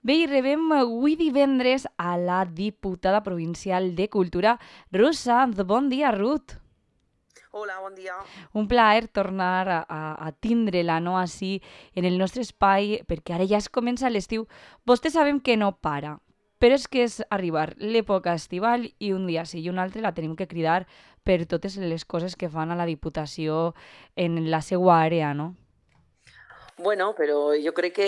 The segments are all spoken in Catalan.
Bé, i rebem avui divendres a la diputada provincial de Cultura, Ruth Sanz. Bon dia, Ruth. Hola, bon dia. Un plaer tornar a tindre-la, no?, així, en el nostre espai, perquè ara ja es comença l'estiu. Vostè sabem que no para, però és que és arribar l'època estival i un dia sí i un altre la tenim que cridar per totes les coses que fan a la Diputació en la seva àrea, no? Bueno, però jo crec que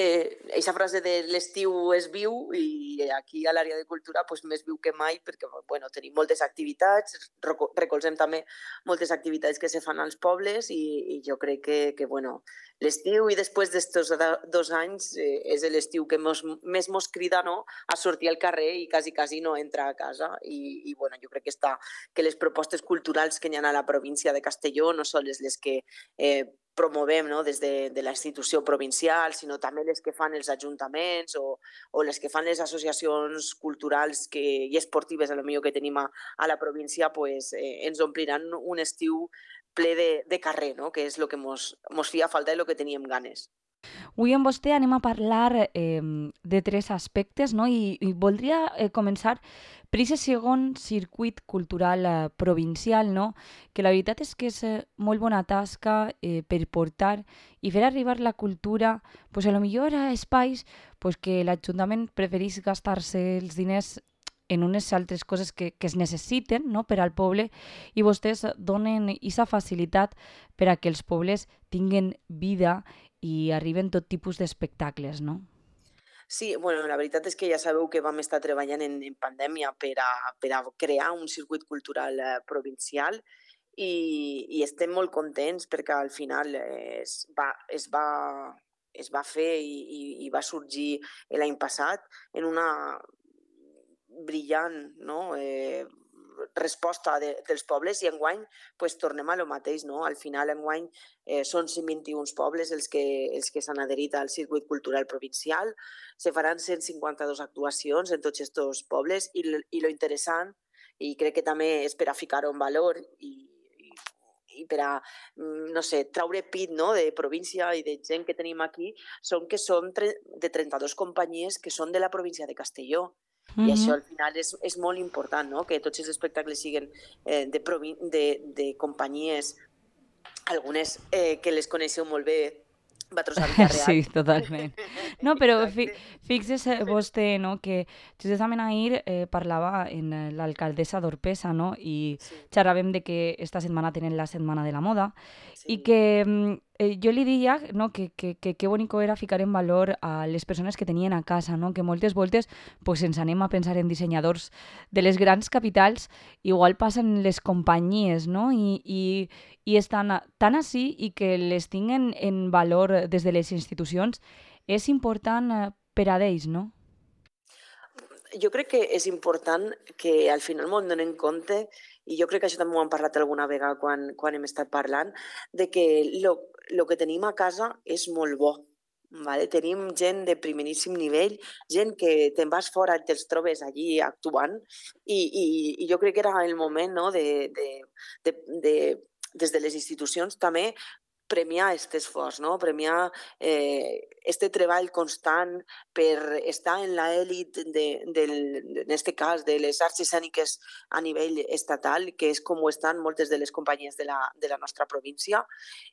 aquesta frase de l'estiu és viu i aquí a l'àrea de cultura pues, més viu que mai perquè bueno, tenim moltes activitats, recolzem també moltes activitats que se fan als pobles i jo crec que bueno, l'estiu i després d'estos 2 anys és l'estiu que més mos crida, no?, a sortir al carrer i quasi no entrar a casa i bueno, jo crec que les propostes culturals que hi ha a la província de Castelló no són les que promovem, no?, des de la institució provincial, sinó també les que fan els ajuntaments o les que fan les associacions culturals i esportives, a lo millor que tenim a la província, pues, ens ompliran un estiu ple de carrer, no?, que és el que mos feia falta i el que teníem ganes. Avui amb vostè anem a parlar de tres aspectes, no? I voldria començar per aquest segon circuit cultural provincial, no? Que la veritat és que és molt bona tasca per portar i fer arribar la cultura pues, a lo millor a espais pues, que l'Ajuntament preferís gastar-se els diners en unes altres coses que es necessiten, no?, per al poble, i vostès donen aquesta facilitat per a que els pobles tinguen vida i arriben tot tipus d'espectacles, no? Sí, bueno, la veritat és que ja sabeu que vam estar treballant en pandèmia per a crear un circuit cultural provincial i estem molt contents perquè al final es va fer i va sorgir l'any passat en una brillant, no?, resposta dels pobles i enguany pues, tornem a lo mateix. No? Al final enguany són 121 pobles els que s'han adherit al circuit cultural provincial, se faran 152 actuacions en tots aquests pobles i lo interessant, i crec que també és per a ficar-ho en valor i per a, no sé, traure pit, no?, de província i de gent que tenim aquí, són de 32 companyies que són de la província de Castelló. I això Mhm. al final és molt important, no?, que tots els espectacles siguin de companyies, algunes que les coneixeu molt bé, vosaltres a Vila-real. Sí, totalment. No, però Exacte. fixes vostè, no?, que justament ahir parlava en l'alcaldessa d'Orpesa, no?, i Sí, xerràvem de que esta setmana tenen la Setmana de la Moda i sí. que jo li deia, no?, que bonico era ficar en valor a les persones que tenien a casa, no?, que moltes voltes pues, ens anem a pensar en dissenyadors de les grans capitals, igual passen les companyies, no?, i estan tan així i que les tinguen en valor des de les institucions és important per a d'ells, no? Jo crec que és important que al final m'ho donem compte, i jo crec que això també ho hem parlat alguna vegada quan hem estat parlant, de que lo que tenim a casa és molt bo. Vale? Tenim gent de primeríssim nivell, gent que te'n vas fora i te'ls trobes allí actuant, i jo crec que era el moment, no?, de, des de les institucions també premiar aquest esforç, no? Premiar este treball constant per estar en l'elit en este cas, de les arts escèniques a nivell estatal, que és com ho estan moltes de les companyies de la nostra província,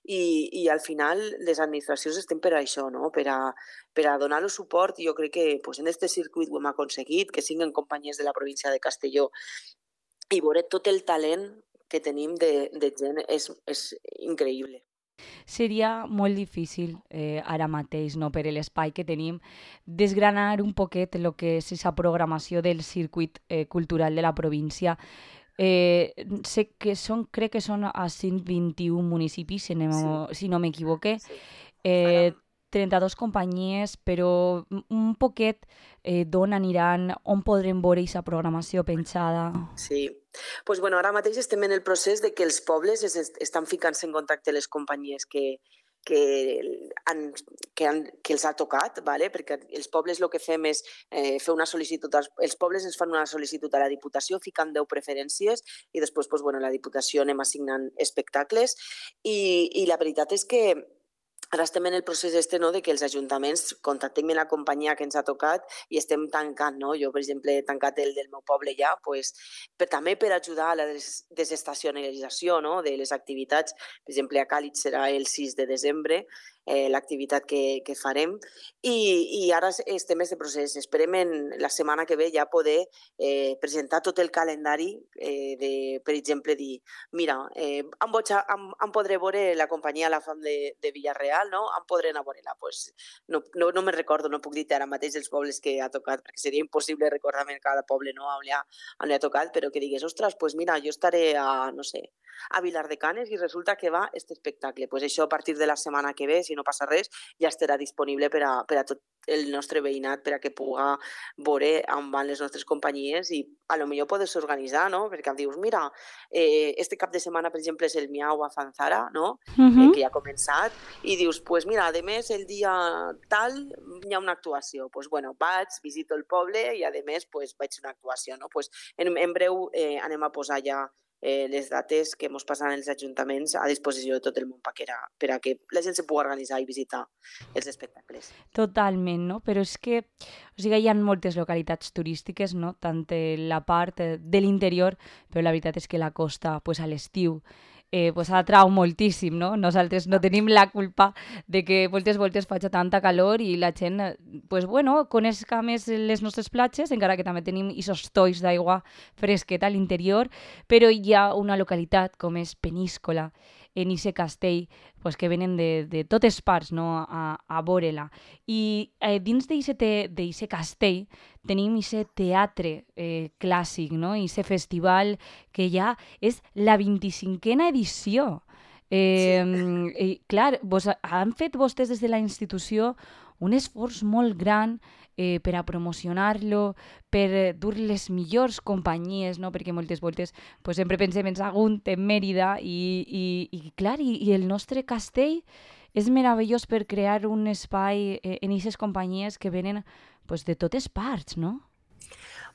i al final les administracions estem per a això, no? Per a donar el suport, i jo crec que pues, en aquest circuit ho hem aconseguit, que siguin companyies de la província de Castelló, i veure tot el talent que tenim de gent és increïble. Seria molt difícil ara mateix, no, per l'espai que tenim, desgranar un poquet el que és aquesta programació del circuit cultural de la província. Sé que crec que són a 121 municipis, Sí, si no m'equivoque, sí. Ara, eh, 32 companyies, però un poquet d'on aniran, on podrem veure aquesta programació penjada. sí. Pues bueno, ara mateix estem en el procés de que els pobles estan ficant-se en contacte les companyies que, han, que els ha tocat, ¿vale? Perquè els pobles el que fem és fer una sol·licitud, els pobles ens fan una sol·licitud a la Diputació, ficant 10 preferències i després pues, bueno, la Diputació anem assignant espectacles i la veritat és que ara estem en el procés de que els ajuntaments contactem la companyia que ens ha tocat i estem tancant, no? Jo, per exemple, he tancat el del meu poble ja, pues, també per ajudar a la desestacionalització, no? De les activitats. Per exemple, a Càlig serà el 6 de desembre, l'activitat que farem, i ara estem en aquest procés. Esperem la setmana que ve ja poder presentar tot el calendari per exemple, dir, mira, em podré veure la companyia La Fam de Villarreal, no? Em podré anar a veure-la. Pues, no me'n recordo, no puc dir ara mateix els pobles que ha tocat, perquè seria impossible recordar-me cada poble, no? On li ha tocat, però que digués, ostres, pues mira, jo estaré a, no sé, a Vilar de Canes i resulta que va este espectacle. Pues això a partir de la setmana que ve, si no passa res, ja estarà disponible per a tot el nostre veïnat, per a que puga veure on van les nostres companyies i a lo millor poder organitzar, no? Perquè em dius, mira, este cap de setmana, per exemple, és el Miau a Fanzara, no? Mhm. Que ja ha començat, i dius, pues mira, a més, el dia tal hi ha una actuació. Pues bueno, vaig, visito el poble i a més pues, vaig a una actuació. No? Pues en breu anem a posar ja les dates que ens passaran els ajuntaments a disposició de tot el món per a que la gent se pugui organitzar i visitar els espectacles. Totalment, no? Però és que, o sigui, hi ha moltes localitats turístiques, no? Tant la part de l'interior, però la veritat és que la costa, pues, a l'estiu, pues, atrau moltíssim, no? Nosaltres no tenim la culpa de que moltes voltes faci tanta calor i la gent, pues, bueno, coneixa més les nostres platges, encara que també tenim aquests tolls d'aigua fresqueta a l'interior, però hi ha una localitat com és Peníscola, en Ise Castell, pues, que venen de totes parts, no? A veure-la. I dins d'Ixe Castell tenim Ixe teatre clàssic, no? Ixe festival que ja és la 25a edició. Sí. Clar, han fet vostès des de la institució un esforç molt gran per a promocionar-lo, per dur les millors companyies, no? Perquè moltes voltes pues, sempre pensem en Sagunt, en Mèrida, i clar, i el nostre castell és meravellós per crear un espai en aquestes companyies que venen pues, de totes parts, no?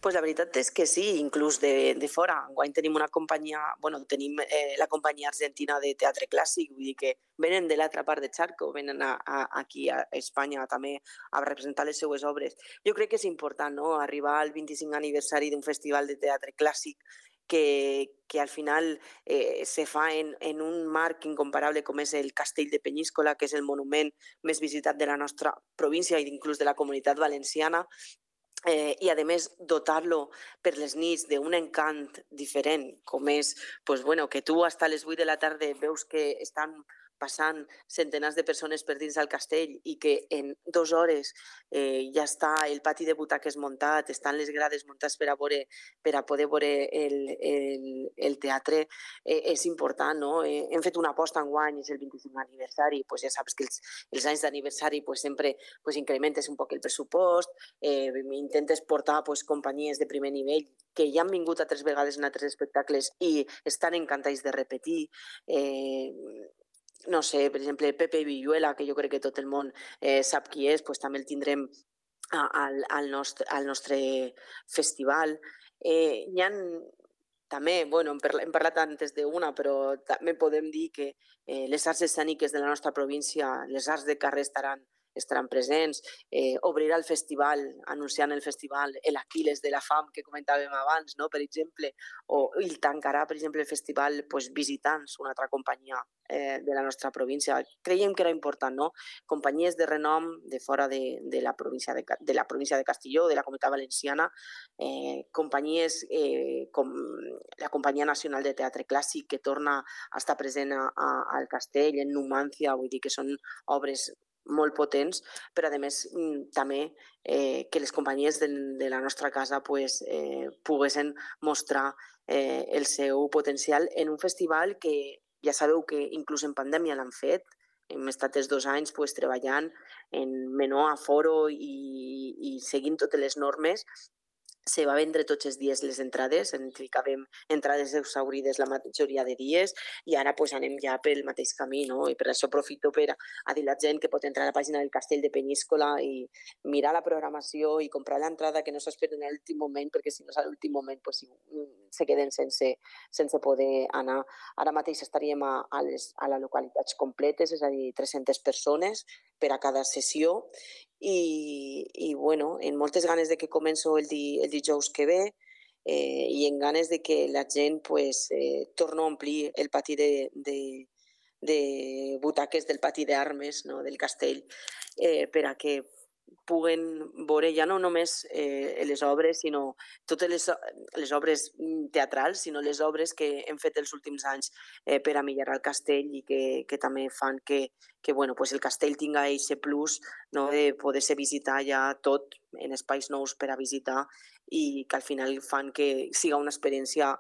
Pues la veritat és que sí, inclús de fora. Enguany tenim una companyia, bueno, tenim la companyia argentina de teatre clàssic, vull dir que venen de l'altra part de Charco, venen aquí a Espanya també a representar les seues obres. Jo crec que és important, no?, arribar al 25 aniversari d'un festival de teatre clàssic que al final se fa en un marc incomparable com és el Castell de Penyíscola, que és el monument més visitat de la nostra província i inclús de la comunitat valenciana, i a més dotar-lo per les nits d'un encant diferent, com és pues, bueno, que tu fins a les 8 de la tarda veus que estan passant centenars de persones per dins del castell i que en 2 hores ja està el pati de butaques muntat, estan les grades muntades per a poder veure el teatre, és important, no? Hem fet una aposta enguany, és el 25 aniversari, pues ja saps que els anys d'aniversari pues, sempre pues, incrementes un poc el pressupost, intentes portar pues, companyies de primer nivell que ja han vingut altres vegades en altres espectacles i estan encantats de repetir. No sé, per exemple, Pepe Villuela, que jo crec que tot el món sap qui és, pues, també el tindrem al nostre festival. Hi ha també, bueno, hem parlat antes d'una, però també podem dir que les arts escèniques de la nostra província, les arts de carrer estaran presents, obrirà el festival, anunciant el festival El Aquiles de la Fam, que comentàvem abans, no? Per exemple, o el tancarà, per exemple, el festival pues, Visitants, una altra companyia de la nostra província. Creiem que era important, no? Companyies de renom de fora de la província de Castelló, de la Comunitat Valenciana, companyies com la Companyia Nacional de Teatre Clàssic, que torna a estar present al Castell, en Numància, vull dir que són obres molt potents, però a més també que les companyies de la nostra casa pues, poguessin mostrar el seu potencial en un festival que ja sabeu que inclús en pandèmia l'han fet, hem estat els 2 anys pues, treballant en menor aforo i seguint totes les normes. Se va vendre tots els dies les entrades, en ficàvem entrades exaurides la majoria de dies i ara pues, anem ja pel mateix camí, no? I per això aprofito per a dir a la gent que pot entrar a la pàgina del Castell de Penyíscola i mirar la programació i comprar l'entrada, que no s'esperen a l'últim moment, perquè si no és a l'últim moment pues, se queden sense poder anar. Ara mateix estaríem a les localitats completes, és a dir, 300 persones per a cada sessió, i bueno, en moltes ganes de que començo el dijous que ve, i en ganes de que la gent torni a omplir el pati de butaques del pati d'armes, no, del castell, per a que puguen veure ja no només les obres, sinó totes les obres teatrals, sinó les obres que hem fet els últims anys per a millorar el castell, i que també fan que bueno, el castell tinga aquest plus, no, de poder-se visitar ja tot en espais nous per a visitar, i que al final fan que siga una experiència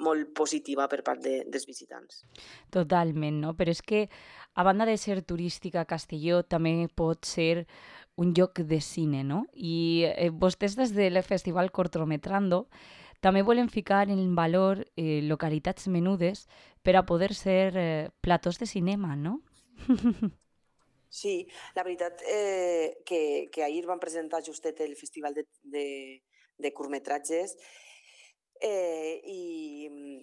molt positiva per part dels visitants. Totalment, no? Però és que, a banda de ser turística, Castelló també pot ser un lloc de cine, no? I vostès des del Festival Cortometrando també volen ficar en valor localitats menudes per a poder ser platós de cinema, no? Sí, la veritat que ahir van presentar justet el Festival de curtmetratges, i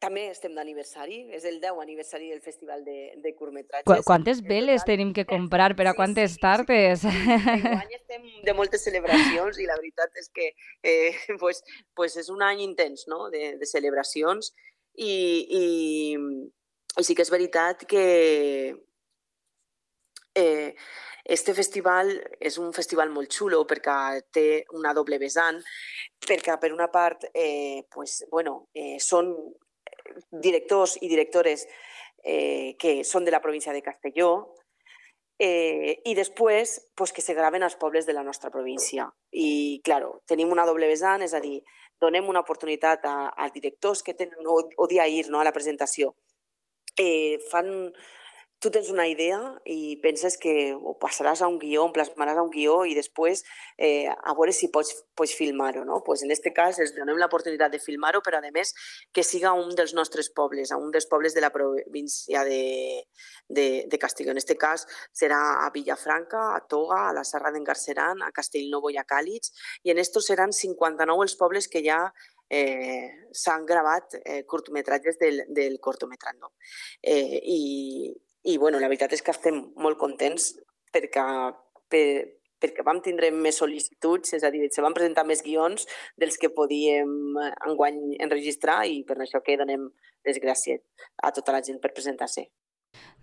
també estem d'aniversari, és el 10 aniversari del Festival de curtmetratges. Quantes veles tenim que comprar per a quantes tardes? Enguany estem de moltes celebracions, i la veritat és que és un any intens, no?, de celebracions, i sí que és veritat que este festival és un festival molt xulo perquè té una doble vessant, perquè per una part són directors i directores que són de la província de Castelló, i després que se graven als pobles de la nostra província. I, clar, tenim una doble vessant, és a dir, donem una oportunitat als directors que tenen, o dia ir, no?, a la presentació. Tu tens una idea i penses que ho passaràs a un guió, en plasmaràs a un guió, i després a veure si pots filmar-ho, no? En aquest cas els donem l'oportunitat de filmar-ho, però a més que siga un dels nostres pobles, un dels pobles de la província de Castelló. En aquest cas serà a Villafranca, a Toga, a la Serra d'en Garceran, a Castellnou i a Càlig, i en estos seran 59 els pobles que ja s'han gravat curtmetratges del Cortometrando. I la veritat és que estem molt contents perquè vam tindre més sol·licituds, és a dir, se van presentar més guions dels que podíem enguany enregistrar, i per això que donem les gràcies a tota la gent per presentar-se.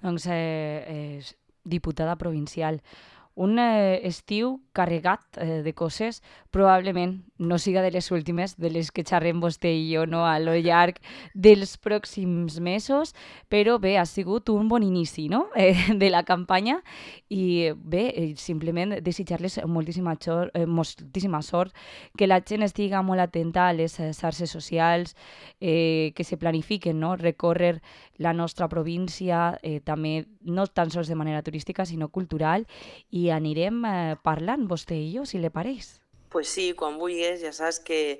Doncs, diputada provincial, un estiu carregat de coses, probablement no siga de les últimes de les que xerrem vostè i jo, no?, a lo llarg dels pròxims mesos, però bé, ha sigut un bon inici, no?, de la campanya, i bé, simplement desitjar-les moltíssima sort, que la gent estiga molt atenta a les xarxes socials, que se planifiquen, no?, recórrer la nostra província, també no tan sols de manera turística, sinó cultural, i anirem parlant, vostè i jo, si li pareix. Pues sí, quan vulguis, ja saps que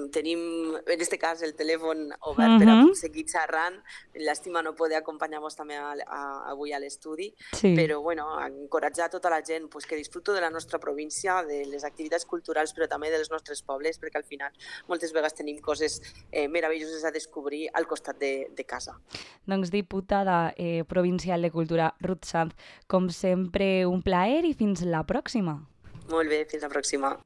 tenim, en aquest cas, el telèfon obert per a seguir xerrant. Llàstima no poder acompanyar-vos també avui a l'estudi, però encoratjar tota la gent que disfruto de la nostra província, de les activitats culturals, però també dels nostres pobles, perquè al final moltes vegades tenim coses meravelloses a descobrir al costat de casa. Doncs, diputada provincial de Cultura, Ruth Sanz, com sempre, un plaer, i fins la pròxima. Molt bé, fins la pròxima.